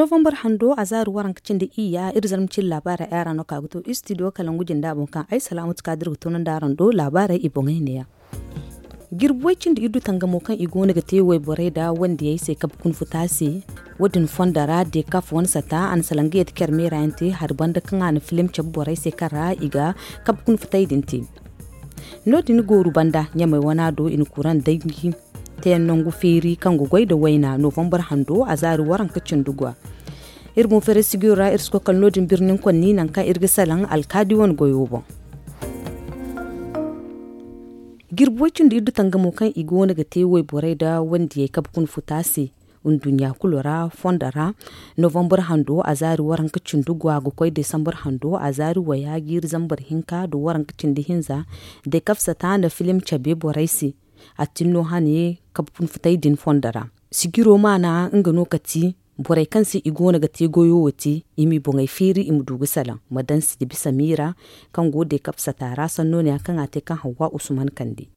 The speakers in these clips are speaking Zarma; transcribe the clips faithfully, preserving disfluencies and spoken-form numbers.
Novambar hando a zaari waranka cindi iyya iri zarma cindi laabaarey ay ra no ka ga to istidiyo kalangu jinda boŋ kaŋ ay salaamatu kaadir ga tunandi araŋ do laabaarey i boŋey neeya. Jirbi way cindi iddu tangamo kaŋ i go no ga te wayborey nda wandiyey se kabe kuna futa se. Wo- din fondo ra dekaf wane sata a na salaŋ ga yeeti care meera yaŋ te hari banda kaŋ a na filim cabe borey se kaŋ ra i ga kabe kuna futey din te. No- din gooru banda ɲamey wana do i na kuraŋ danji teyaŋ nangu feeri kaŋ ga goy nda wayna novambar hando a zaari waranka cindi gwa. Iri boŋ feeray sigiro ra iri si koy kala no- din birnin konni nangu kaŋ iri ga salaŋ alkaadi wane goyo boŋ. Jirbi way cindi iddu tangamo kaŋ i go no ga te wayborey nda wandiyey kabe kuna futa se. Nduɲɲa kulu ra fondo ra novambar hando a zaari waranka cindi gwa ga koy desambar hando a zaari waya jiiri zambar hinka nda waranka cindi hinza. Dekaf sata na filim cabe borey se. A tin no hane kabe kuna futey din fondo ra. Sigiro maana nga no ka ti borey kaŋ se i go no ga te goyo wo te i m'i boŋey feeri i ma du ga salaŋ ma daŋ si da bisa miira kaŋ go dekaf sata ra sanno ne ya kaŋ a te kaŋ hawwa usman kande.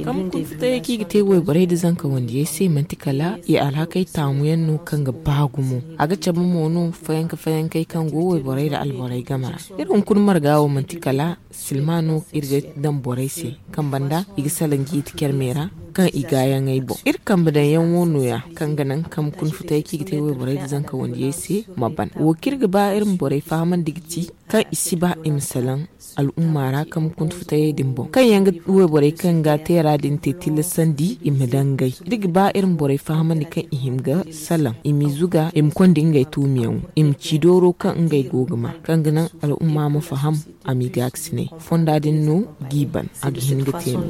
Kaŋ ma kuna futayey kaŋ i ga te wayborey nda zanka wandiyey se manti kala i alhakey taamu yaŋ no kaŋ ga ba gumo. A ga cabe mo no fayanka fayankey kaŋ go wayborey nda alborey game ra. Iri hunkuna marga wo manti kala silma no iri ga daŋ borey se kaŋ banda i ga salaŋ jiiti care meera kaŋ i gaayaŋey boŋ iri kambe daŋ yaŋ wo nooya kaŋ ga naŋ kaŋ ma kuna futayey kaŋ i ga te wayborey nda zanka wandiyey se ma ban wo kaŋ iri ga ba iri ma borey fahamandi ga ti kaŋ i si ba i ma salaŋ al'umma ra kaŋ ma kuna futayey din boŋ kaŋ yaŋ ga wayborey kaŋ ga teera din te tillasandi i ma dangay iri ga ba iri ma borey fahamandi kaŋ i hin ga salaŋ i m'i zuga i ma konda ngey tuumiyaŋo i ma ci dooro kaŋ ngey go ga ma kaŋ ga naŋ al'umma ma faham a m'i gaakasinay fonda din no g'i ban a ga hin ga te no.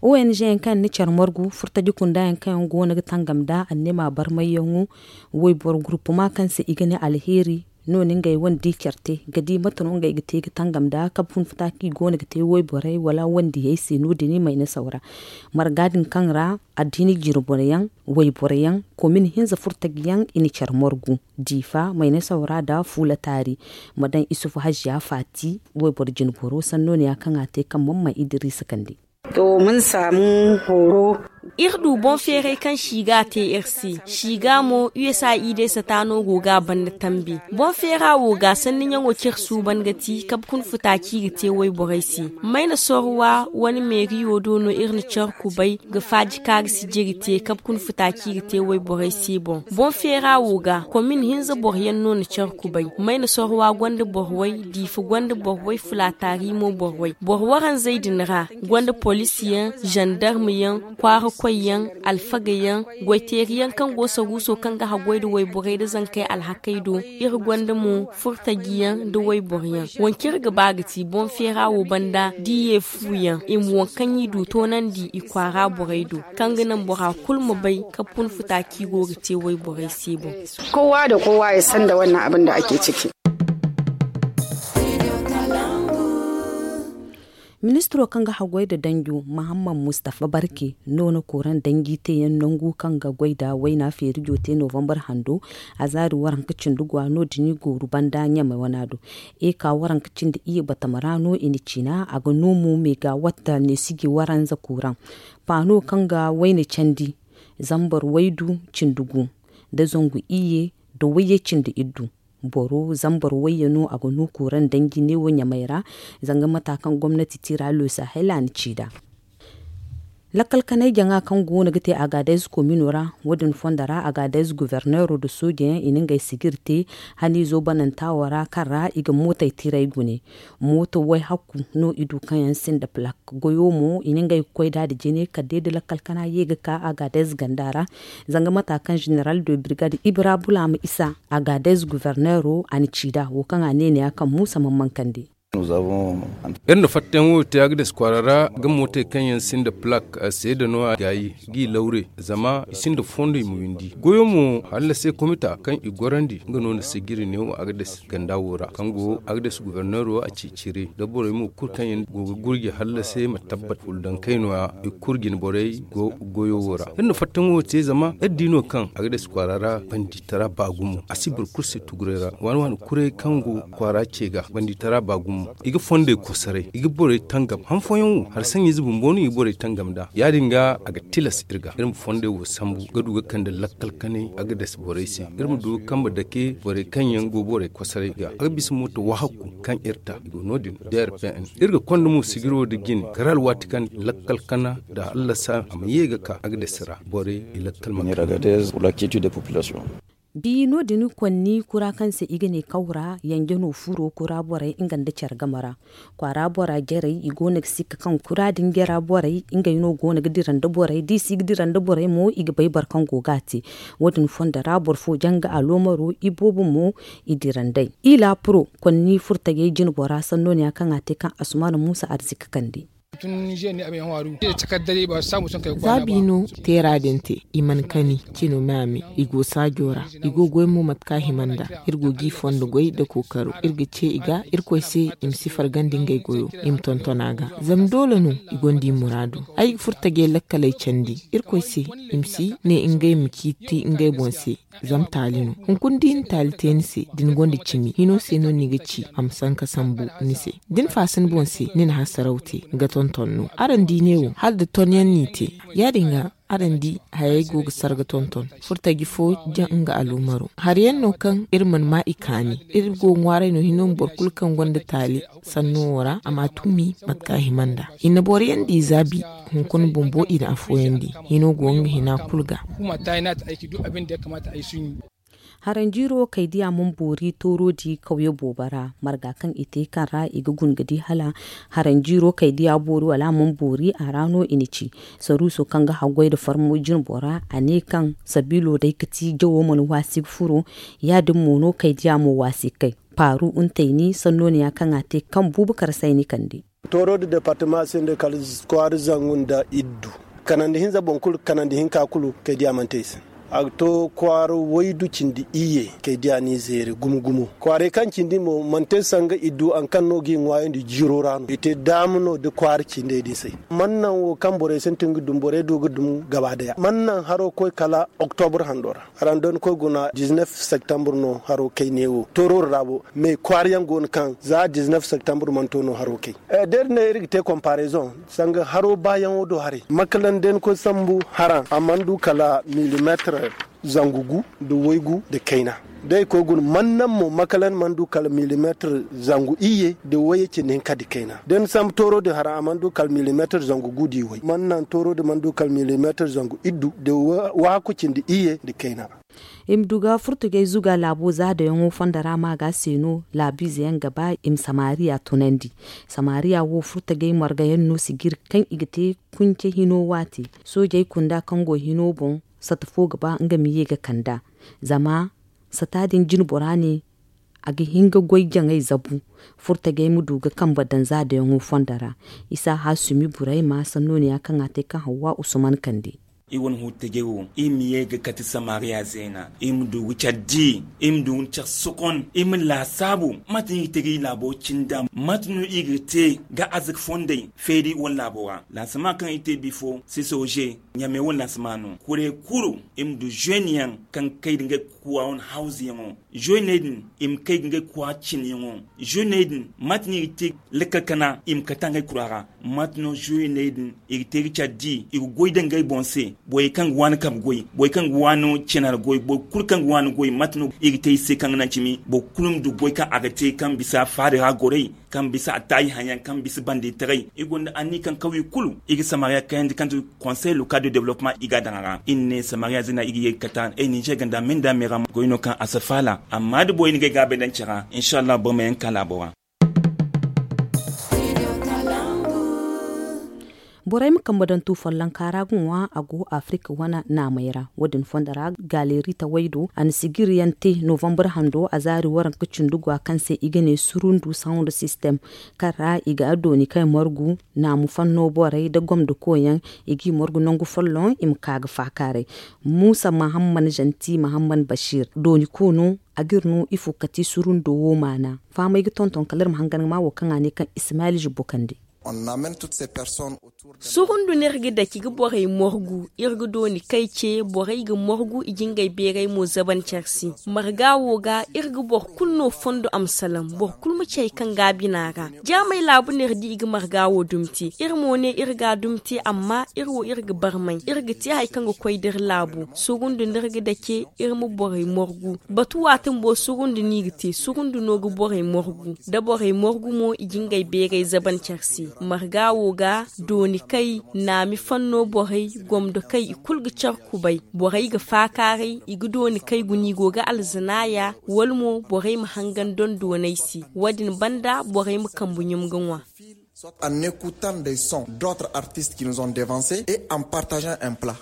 Ong yaŋ kaŋ yaŋ na care margu furtaji kunda yaŋ kaŋ yaŋ go no ga tangam nda annema barmayyaŋo wayboro gurpuma kaŋ se i ga ne alheeri no no ngey wane di care te ga di mate no ngey ga te ga tangam nda kabe fun futa kaŋ i go no ga te wayborey wala wandiyey se no- din i mayna saw ra. Marga din kaŋ ra addiini jine boro yaŋ wayboro yaŋ komin hinza furtaji yaŋ i na care margu diifa mayna saw ra nda fuula taari ma daŋ isufu haziya faati wayboro jine boro sanno ne ya kaŋ a te kaŋ mamman idiriisa kande. To mun saamu horo. Iri du boŋ feeray kaŋ si ga a te iri se si ga mo usa i deesa taano go ga a banda tambi boŋ feera wo ga sanni ɲaŋo cire suuban ga ti kabe kuna futa kaŋ i ga te wayborey se. Mayna sorwa wane meeriyo do no iri na care kubay ga faaji kaŋ a ga sijiri te kabe kuna futa kaŋ i ga te wayborey se boŋ boŋ feera wo ga komin hinza boro yaŋ no na care kubay mayna sorwa gonda boro way diifa gonda boro way fulaataari mo boro way boro waranzey din ra gonda poliisi yaŋ zandarma yaŋ kwaara koy yaŋ alfaga yaŋ goyteeri yaŋ kaŋ go saruuso kaŋ ga haggoy nda wayborey nda zankey alhakey do. Iri gonda mo furtaji yaŋ nda wayboro yaŋ wo kaŋ iri ga ba ga ti boŋ feera wo banda da i ye fu yaŋ i ma wo kaŋ i du toonandi i kwaara borey do kaŋ ga naŋ bora kulu ma bay kabe fun futa kaŋ i go ga te wayborey se boŋ. Kowa da kowa ya san da wannan abin da ake ciki. Ministiro kaŋ ga haggoy nda danjo mahammad mustafa barke no na kooraŋ danji teeyaŋ nangu kaŋ ga goy nda wayna feerijo te novambar hando a zaari waranka cindi gwa no- din i gooru banda ɲamey wana do. Eka waranka cindi iyye batama ra no i na ciina a ga no mo meega watta neesiji waranza kooraŋ paano kaŋ ga wayna candi zambar waydu cindi gu nda zangu iyye nda wayye cindi iddu. Boro zambar wayye no a ga no kooraŋ danji neewo ɲamey ra zanga mata kaŋ gomnati tiira losa hala a na ci nd'a. Lakkal kanay jaŋa kaŋ go no ga te agaadez komino ra wo- din fondo ra agaadez governeero nda sooje yaŋ i na ngey sigir te haniizo bananta wo ra kaŋ ra i ga mootey tiray gune. Mooto way hakku no i du kaŋ yaŋ sinda plak goyo mo i na ngey ga koy nd'a nda jine kala day da lakkal kana ye ga ka agaadez ganda ra. Zanga mata kaŋ zeneral de birgad ibra bulaama isa agaadez governeero a na ci nd'a wo kaŋ a ne ne ya kaŋ muusa man mankandi. Iri na fattayaŋo te agades kwaara ra ga mootey kaŋ yaŋ sinda plak seeda no a gaayi g'i lawre zama i sinda fondo i ma windi goyo mo hallase komita kaŋ i gorandi nga no na sigiri neewo agades ganda wo ra kaŋ go agades governeero a ceecire nda borey mo kulu kaŋ yaŋ go ga gurji hallase ma tabbat fuldankey nooya i kulu jine borey go goyo wo ra iri na fattayaŋo te zama iri di no kaŋ agades kwaara ra banditara ba gumo a si boro kulu se tuguray ra waani waani kuray kaŋ go kwaara ce ga banditara ba gumo. I ga fondey kosoray, i ga borey tangam han fooyaŋ wo hari saŋ-ize bumbo no i ga borey tangam nd'a. Ya-din ga a ga tilas iri ga iri ma fondey wo sambu ga du ga kande lakkal kanay a ga dasa borey se. Iri ma du ga kambe dake borey kaŋ yaŋ go borey kosoray ga a ga bisa mooto wahakku kaŋ iri ta i go no- din. Drpn iri ga konda mo sigiro nda jine kala alwaati kaŋ lakkal kana nda hallasa a ma ye ga ka a ga dasa ra borey i lakkal ma. Di no- din konni kura kaŋ se i ga ne kawra yanje no furo kura borey nga nda care game ra. Kwaara bora jarey i go no ga sikka kaŋ kura din jara borey ngey no go no ga dira nda borey da i si ga dira nda borey mo i ga bay boro kaŋ go ga a te. Wo- din fondo ra boro fo janga aloomaro i boobo mo i dira nd'ey. I laapuro konni furtajey jinbora sanno ne ya kaŋ a te kaŋ asumaana muusa arzika kande. Za biino teera din te i mana kani cino me a me. I go saajo ra i go goy mo mate kaŋ a hima nd'a. Iri go g'i fondo goy nda kookaro iri ga ce i ga irkoy se i ma si fargandi ngey goyo i ma tonton a ga. Zama doole no i gonda i muraadu. Ay ga furo tajey lakkaley candi irkoy se i ma si ne ngey ma ciiti ngey boŋ se. Zama taali no hunkuna da i na taali te ni se da ni gonda cimi hino se no ni ga ci a ma sanka sambu ni se. Da ni faasa ni boŋ se ni na hasaraw te ga tonton no. Araŋ di neewo hala da ton yaŋ n'i te. Ya- din ga araŋ di hayey go ga sarga tonton furtaji fo jaŋ nga aloomaro hari yaŋ no kaŋ iri mana ma i kaani. Iri go ga ŋwaaray no hino ma boro kulu kaŋ gonda taali sanno wo ra a ma a tumi mate kaŋ a hima nd'a. I na boro yaŋ di zaabi hunkuna bumbo i na afooyaŋ di. Hino go nga hina kulu ga. Haranjiiro kay diya mana boori tooro di kawye boobo ra marga kaŋ i te kaŋ ra i ga guna ga di hala haranjiiro kay diya boori wala a mana boori a ra no i na ci. Saruuso kaŋ ga haggoy nda farmo jinbo ra a ne kaŋ sabiilo day ga ti jawo mana waasi ga furo. Ya- din mo no kay diya mo waasi ga kay paaru ntayni sanno ne ya kaŋ a te kaŋ buubu kar sayni kande. Tooro nda departama se nda kala kwaara zangu nda iddu kanandi hinza boŋ kulu kanandi hinka kulu kay diya mana te i se. A ga to kwaara waydu cindi iyye kay diya n'i zeere gumo gumo. Kwaaray kaŋ cindi mo mana te sanga iddu hari kaŋ no g'i ŋwaayandi jiiro ra no i te daama no nda kwaara cindey din se. Mana naŋ wo kaŋ borey sintin ga dum borey du ga dum gaba daya mana naŋ haro koy kala oktobur hando ra. Hara nda ni koy guna dizinef septembre no haro kay neewo tooro ra bo. Mais kwaara yaŋ go no kaŋ za dizinef septembre mana to no haro kay. Da iri ne iri ga te konparezoŋ sanga haro baayaŋo do haray makalan da ni koy sambu hara a mana du kala milimeetir zangu gu nda waygu nda kayna. Da i koy guna mana naŋ mo makalan mana du kala milimeetir zangu iyye nda wayye cindi hinka nda kayna da ni sambu tooro din hara a mana du kala milimeetir zangu gu nda i way mana naŋ tooro din mana du kala milimeetir zangu iddu nda wahakku cindi iyye nda kayna. I ma du ga furtugey zuga laabo zaadayaŋo fondo ra ma ga a se no laabiize yaŋ ga ba i ma samariya tunandi. Samariya wo furtugey marga yaŋ no sijiri kaŋ i ga te kunce hino waati. Soojey kunda kaŋ go hino boŋ sata fo ga ba nga ma ye ga kand'a. Zama sata din jinbora ne a ga hin ga goy jaŋay zabu. Furtugey ma du ga kambe daŋ zaadayaŋo fondo ra. Isa hasumi burayma sanno ne ya kaŋ a te kaŋ hawwa usman kande. I wane huttajey wo i ma ye ga kate samariya zeena i ma du ga care di i ma du ga care sokon i ma laasaabu. Mate no i ga te ga i laabo cinda mate no i ga te ga arzaka fondey feeri wane laabo ra laasama kaŋ i te bifo sisoje ɲame wane laasama no kuray kulu. I ma du zeeney yaŋ kaŋ kay da ngey kuwa wane hawzuyaŋo. Zeeney din i ma kay ga ngey kuwa cinyaŋo. Zeeney din mate no i ga te lakkal kana i ma kata ngey kura ra. Mate no zeeney din i ga te ga care di i ga goy da ngey boŋ se. Borey kaŋ ga waani kabe goy borey kaŋ ga waani cenar goy boro kulu kaŋ ga waani goy mate no i ga te i se kaŋ ga naŋ cimi boro kulu ma du goy kaŋ a ga te kaŋ bisa faari ra goray kaŋ bisa attaayi haŋ yaŋ kaŋ bisa bande taray. I gonda anniya kaŋ kawye kulu i ga samariya kayandi kaŋ ti konsey local de development i ga a daŋ a ra i na ne samariya zina i ga ye ga kata ay ninzeer ganda me nda me ra goy no kaŋ a si faala. Amma da borey na ngey gaabay daŋ care ra insa allah boro ma yaŋ ga ka laabo ra. Borey ma kambe daŋ tu follonka ra ga ŋwa a go afirika wane naamey ra. Wo- din fondo ra galeeri tawey do a na sijiri yaŋ te novambar hando a zaari waranka cindi gwa kaŋ se i ga ne surundu sound system kaŋ ra i ga dooni kay margu naamu fanno borey nda gomdo koyyaŋ. I g'i margu nangu folloŋ i ma ka ga faakaaray. Muusa mahamman zanti mahamman basiir dooni koono. A g'iri no ifo kate surundo wo maana fahamey ga tonton kala iri ma hangan ga ma wo kaŋ a ne kaŋ ismaayil zubbo kande. Surundu no iri ga dake ga borey morgu, iri ga dooni kay ce, borey ga morgu, i ga ngey beeray mo zaban care se. Marga wo ga, iri ga boro kulu no fondo a ma salaŋ, boro kulu ma ci hari kaŋ go a bina ra. Jaamey laabu no iri di i ga marga wo dumi te. Iri mo ne iri ga a dumi te, amma iri wo iri ga barmay, iri ga te hari kaŋ ga koy da iri laabo. Surundu no iri ga dake, iri ma borey morgu. Batu waati bumbo surundu no i ga te, surundu no ga borey morgu. Da borey morgu mo, i ga ngey beeray zaban care se. Marga wo ga, dooni kay, naami fanno borey, gomdo kay, i kulu ga care kubay. Borey ga faakaaray, i ga dooni kay guna i go ga alzanaaya, wala mo borey ma hangan doŋ dooney se. Wo-din banda borey ma kambu ɲum ga ŋwa. Soit en écoutant des sons d'autres artistes qui nous ont devancés et en partageant un plat.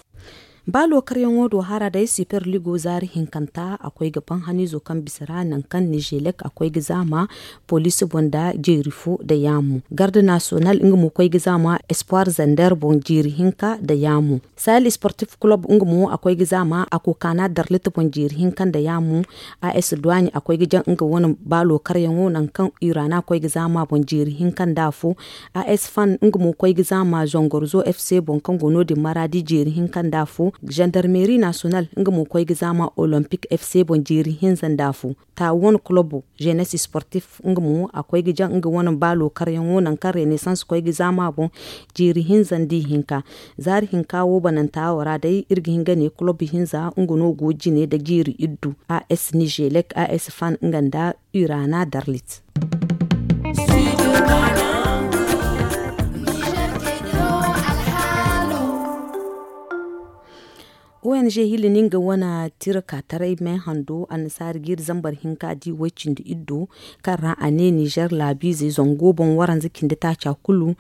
Ba lookaryaŋo do hara day Super Ligo zaari hinkanta a koy ga ban haniizo kaŋ bisa ra nangu kaŋ Nijelek a koy ga zaama poliisi boŋ nda jeeri fo nda yaamu. Garde Nasiyonal nga mo koy ga zaama Espoir Zander boŋ jeeri hinka nda yaamu. Sahel Sportif Club nga mo a koy ga zaama Akokana Darlit boŋ jeeri hinka nda yaamu. A S Duwaaɲe a koy ga jaŋ nga wane ba lookaryaŋo nangu kaŋ Irana koy ga zaama boŋ jeeri hinka nda afo. A S Fan nga mo koy ga zaama Zongorzo F C boŋ kaŋ go no-din Maraadi jeeri hinka nda afo. Gendarmerie Nasiyonal nga mo koy ga zaama Olympic F C boŋ jeeri hinza nda afo. Taawon Club Jeunesse Sportif nga mo a koy ga jaŋ nga wane ba lookaryaŋo nangu kaŋ Renaissance koy ga zaama boŋ jeeri hinza nda ihinka. Zaari hinka wo bananta wo ra day iri ga hin ga ne club hinza nga no go jine nda jeeri iddu. A S Nijelek, A S Fan nga nda Irana Darlit. O N G hili no nga wane tira ka taray me hando annasaari jiiri zambar hinka di way cindi iddo kaŋ ra a ne Nizer laabiizey zango boŋ waranza cindi taaca kulu.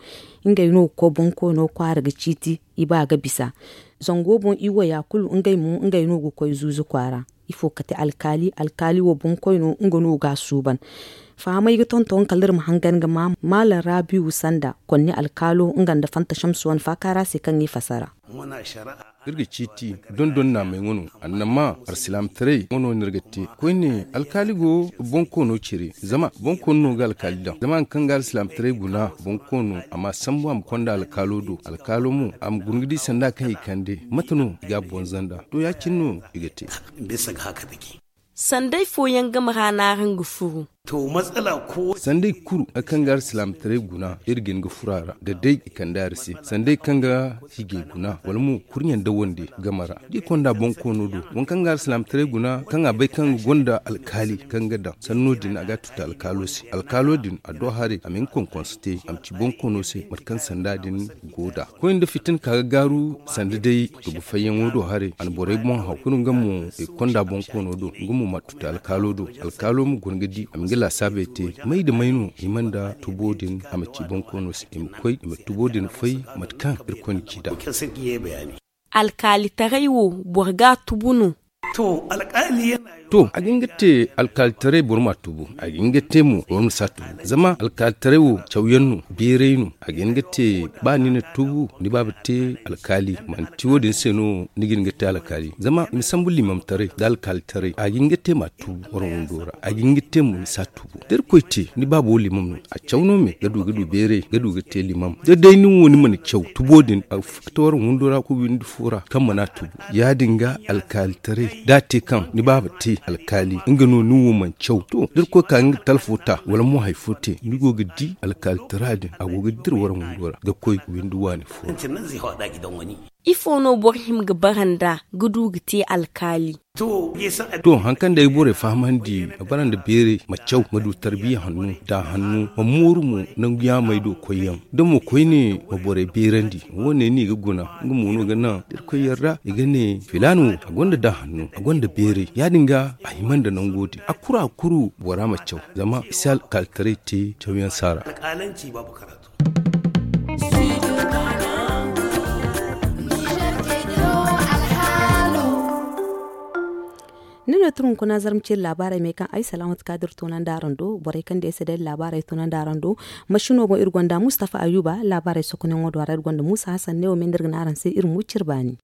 Ngey no ga koy boŋ koyno kwaara ga ciiti i ba ga bisa. Zango boŋ i waya kulu ngey mo ngey no ga koy zuuzu kwaara. Ifo kate alkaali alkaali wo boŋ koyno nga no ga a suuban. Fahamey ga tonton kala iri ma hangan ga ma maalam raabiiwu sanda konni alkaalo nga nda fanta shamsu wane faakaara se kaŋ i fasara. Iri ga ciiti dondon naamey wano annama alsilaamataray wano no iri ga te. Koyne alkaali go boŋ koono cire zama boŋ koono no ga alkaali daŋ zama hari kaŋ ga alsilaamataray guna boŋ koono a ma a sambu a ma konda alkaalo do alkaalo mo a ma guna ga di sanda kaŋ i kande mate no i ga a boŋ zanda to ya- cine no i ga te. Sanday fooyaŋ game ra no araŋ ga furu. Sanday kulu hari kaŋ ga alsilaamataray guna iri ga hin ga furu a ra da day i kande a ra se sanday kaŋ ga hijay guna wala mo kurɲe nda wande game ra da i konda boŋ koono do waŋ kaŋ ga alsilaamataray guna kaŋ a bay kaŋ ga gonda alkaali kaŋ ga daŋ sanno din a ga a tuti alkaalo se alkaalo din a do haray a ma hin konkonse te a ma ci boŋ koono se mate kaŋ sanda din go nd'a. Koy nda fitina ka ga gaaru sanda day tubu fayyaŋo do haray a na borey boŋ haw kulu nga mo i konda boŋ koono do nga mo ma a tuti alkaalo do alkaalo ma guna ga di a ma nga laasaabey te may nda may no i ma nda tubo din a ma ci boŋ koono se i ma koy i ma tubo din fay mate kaŋ irkoy na ci nd'a. Alkaalitaray wo boro ga a tubu no. To a ga hin ga te alkaalitaray boro ma a tubu a ga hin ga te mo boro ma si a tubu zama alkaalitaray wo cawyaŋ no beeray no a ga hin ga te ba ni na tubu ni baaba te alkaali manti wo- din se no ni ga hin ga te alkaali zama i ma sambu liimamtaray nda alkaalitaray a ga hin ga te ma a tubu wara windo ra a ga hin ga te mo ni si a tubu da irkoy te ni baabo liimam no a caw no me ga du ga du beeray ga du ga te liimam da day nin wo ni mana caw tubo din a ga furo ga te wara windo ra ga windi fo ra kaŋ mana a tubu ya- din ga alkaalitaray da a te kaŋ ni baaba te alkaali nga no nin wo mana caw to da irkoy ka nga talfo ta wala mo hari fo te ni go ga di alkaalitara din a go ga dira wara windo ra ga koy windi waani fo ra. Ifo no boro hima ga bara nd'a ga du ga te alkaali? To hari kaŋ day borey fahamandi a bara nda beeray ma caw ma du tarbiya hanno da hanno ma mooru mo nangu yaamey do koyyaŋ da mo koyne ma borey beerandi wo- ne no i ga guna nga mo no ga naŋ da irkoy yarda i ga ne filaana wo a gonda da hanno a gonda beeray ya- din ga a hima nda nango din a kuru a kuru bora ma caw zama i si alkaalitaray te cawyaŋ saara. Ni no tun hunkuna zarma ciri laabaarey me kaŋ ay salaamatu ka dira tunandi araŋ do borey kaŋ day se day laabaarey tunandi araŋ do. Mashino boŋ iri gonda mustafa ayuba laabaarey sokonayaŋo do a ra iri gonda muusa hasan ne wo me nda iri ga ne araŋ se iri ma wi cire baani.